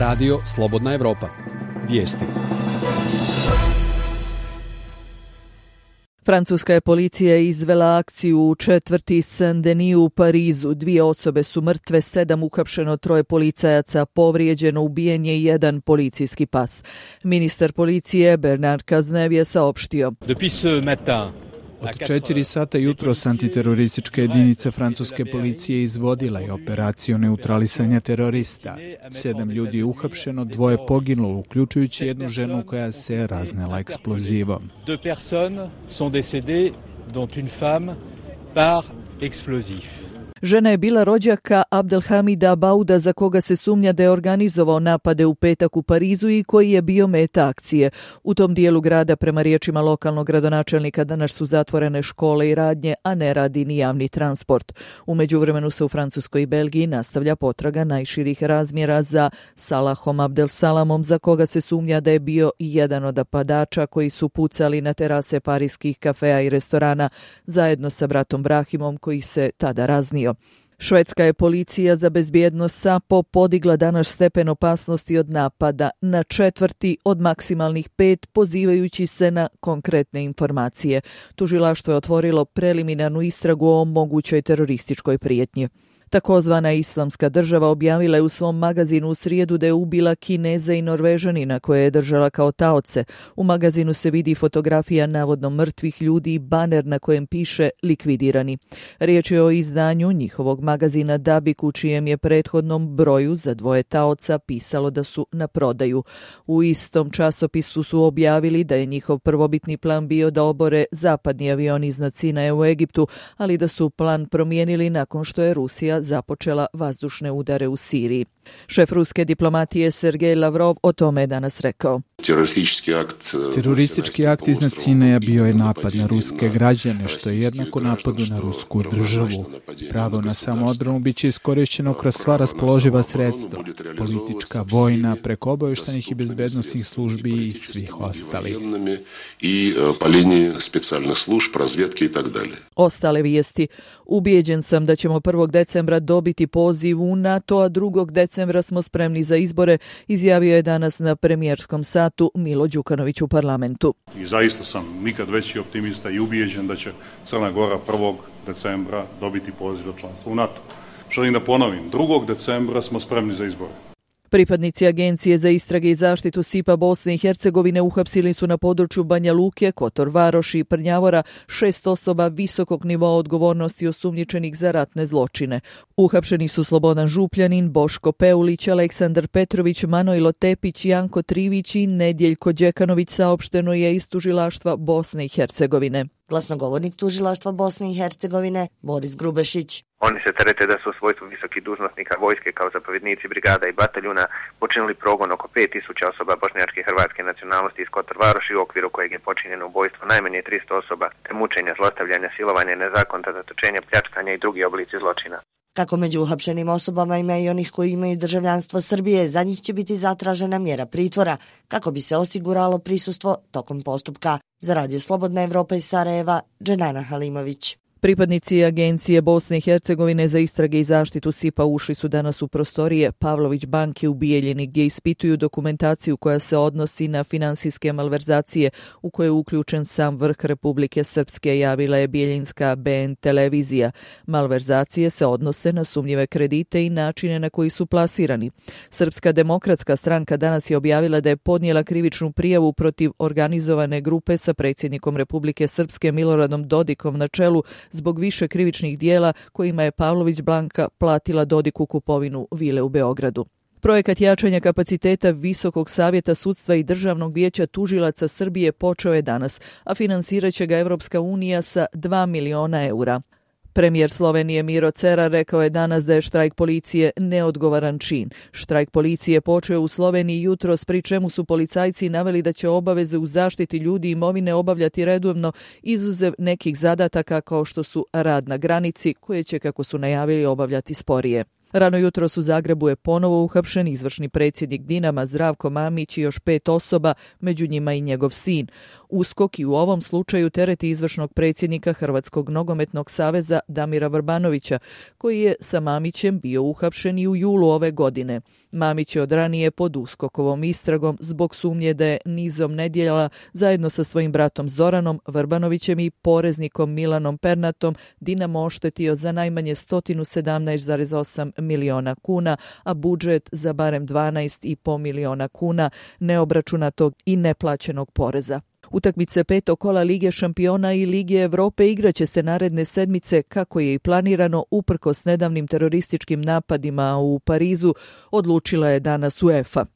Radio Slobodna Evropa. Vijesti. Francuska je policija izvela akciju u četvrti Saint-Denis u Parizu. 2 osobe su mrtve, 7 uhapšeno, 3 policajaca povrijeđeno, ubijen je 1 policijski pas. Ministar policije Bernard Cazeneuve je saopštio: Od 4 sata jutros antiteroristička jedinica francuske policije izvodila je operaciju neutralisanja terorista. 7 ljudi je uhapšeno, 2 poginulo, uključujući jednu ženu koja se raznela eksplozivom. 2 personnes sont décédées, dont une femme par explosif. Žena je bila rođaka Abdelhamida Bauda, za koga se sumnja da je organizovao napade u petak u Parizu i koji je bio meta akcije. U tom dijelu grada, prema riječima lokalnog gradonačelnika, danas su zatvorene škole i radnje, a ne radi ni javni transport. U međuvremenu se u Francuskoj i Belgiji nastavlja potraga najširih razmjera za Salahom Abdelsalamom, za koga se sumnja da je bio jedan od napadača koji su pucali na terase parijskih kafea i restorana zajedno sa bratom Brahimom, koji se tada raznio. Švedska je policija za bezbjednost SAPO podigla danas stepen opasnosti od napada na 4 od maksimalnih 5, pozivajući se na konkretne informacije. Tužilaštvo je otvorilo preliminarnu istragu o mogućoj terorističkoj prijetnji. Takozvana Islamska država objavila je u svom magazinu u srijedu da je ubila Kineza i Norvežanina koje je držala kao taoce. U magazinu se vidi fotografija navodno mrtvih ljudi i baner na kojem piše likvidirani. Riječ je o izdanju njihovog magazina Dabik, u čijem je prethodnom broju za 2 taoca pisalo da su na prodaju. U istom časopisu su objavili da je njihov prvobitni plan bio da obore zapadni avion iznad Sinaja u Egiptu, ali da su plan promijenili nakon što je Rusija započela vazdušne udare u Siriji. Šef ruske diplomatije Sergej Lavrov o tome je danas rekao: Teroristički akt iznad Sinaja bio je napad na ruske građane, što je jednako napadu na rusku državu. Pravo na samoodbranu biće iskorišćeno kroz sva raspoloživa sredstva, politička, vojna, preko obavještajnih i bezbednosnih službi i svih ostalih. Ostale vijesti. Ubijeđen sam da ćemo 1. decembra dobiti poziv u NATO, a 2. decembra smo spremni za izbore, izjavio je danas na premijerskom satu Milo Đukanović u parlamentu. I zaista sam nikad veći optimista i ubijeđen da će Crna Gora 1. decembra dobiti poziv za članstvo u NATO. Želim da ponovim, 2. decembra smo spremni za izbore. Pripadnici Agencije za istrage i zaštitu SIPA Bosne i Hercegovine uhapsili su na području Banja Luke, Kotor Varoši i Prnjavora 6 osoba visokog nivoa odgovornosti osumnjičenih za ratne zločine. Uhapšeni su Slobodan Župljanin, Boško Peulić, Aleksandar Petrović, Manojlo Tepić, Janko Trivić i Nedjeljko Đekanović, saopšteno je iz tužilaštva Bosne i Hercegovine. Glasnogovornik tužilaštva Bosne i Hercegovine Boris Grubešić. Oni se terete da su u svojstvu visokih dužnosnika vojske kao zapovjednici brigada i bataljuna počinili progon oko 5000 osoba bošnjačke i hrvatske nacionalnosti iz Kotor Varoši, u okviru kojeg je počinjeno ubojstvo najmanje 300 osoba, te mučenja, zlostavljanja, silovanja, nezakonita zatočenja, pljačkanja i drugi oblici zločina. Kako među uhapšenim osobama ima i onih koji imaju državljanstvo Srbije, za njih će biti zatražena mjera pritvora kako bi se osiguralo prisustvo tokom postupka. Za Radio Slobodna Evropa iz Sarajeva, Dženana Halimović. Pripadnici Agencije Bosne i Hercegovine za istrage i zaštitu SIPA ušli su danas u prostorije Pavlović banke u Bijeljini, gdje ispituju dokumentaciju koja se odnosi na finansijske malverzacije u koje je uključen sam vrh Republike Srpske, javila je bijeljinska BN televizija. Malverzacije se odnose na sumnjive kredite i načine na koji su plasirani. Srpska demokratska stranka danas je objavila da je podnijela krivičnu prijavu protiv organizovane grupe sa predsjednikom Republike Srpske Miloradom Dodikom na čelu zbog više krivičnih dijela kojima je Pavlović banka platila Dodiku kupovinu vile u Beogradu. Projekat jačanja kapaciteta Visokog savjeta sudstva i Državnog vijeća tužilaca Srbije počeo je danas, a finansirat će ga Evropska unija sa 2 miliona eura. Premijer Slovenije Miro Cerar rekao je danas da je štrajk policije neodgovoran čin. Štrajk policije počeo u Sloveniji jutros, pri čemu su policajci naveli da će obaveze u zaštiti ljudi i imovine obavljati redovno, izuzev nekih zadataka kao što su rad na granici, koje će, kako su najavili, obavljati sporije. Rano jutros u Zagrebu je ponovo uhapšen izvršni predsjednik Dinama Zdravko Mamić i još 5 osoba, među njima i njegov sin. USKOK i u ovom slučaju tereti izvršnog predsjednika Hrvatskog nogometnog saveza Damira Vrbanovića, koji je sa Mamićem bio uhapšen i u julu ove godine. Mamić je od ranije pod USKOK-ovom istragom zbog sumnje da je nizom nedjela zajedno sa svojim bratom Zoranom Vrbanovićem i poreznikom Milanom Pernatom Dinamo oštetio za najmanje 117,8 miliona kuna, a budžet za barem 12,5 miliona kuna neobračunatog i neplaćenog poreza. Utakmice petog kola Lige šampiona i Lige Evrope igraće se naredne sedmice kako je i planirano uprkos nedavnim terorističkim napadima u Parizu, odlučila je danas UEFA.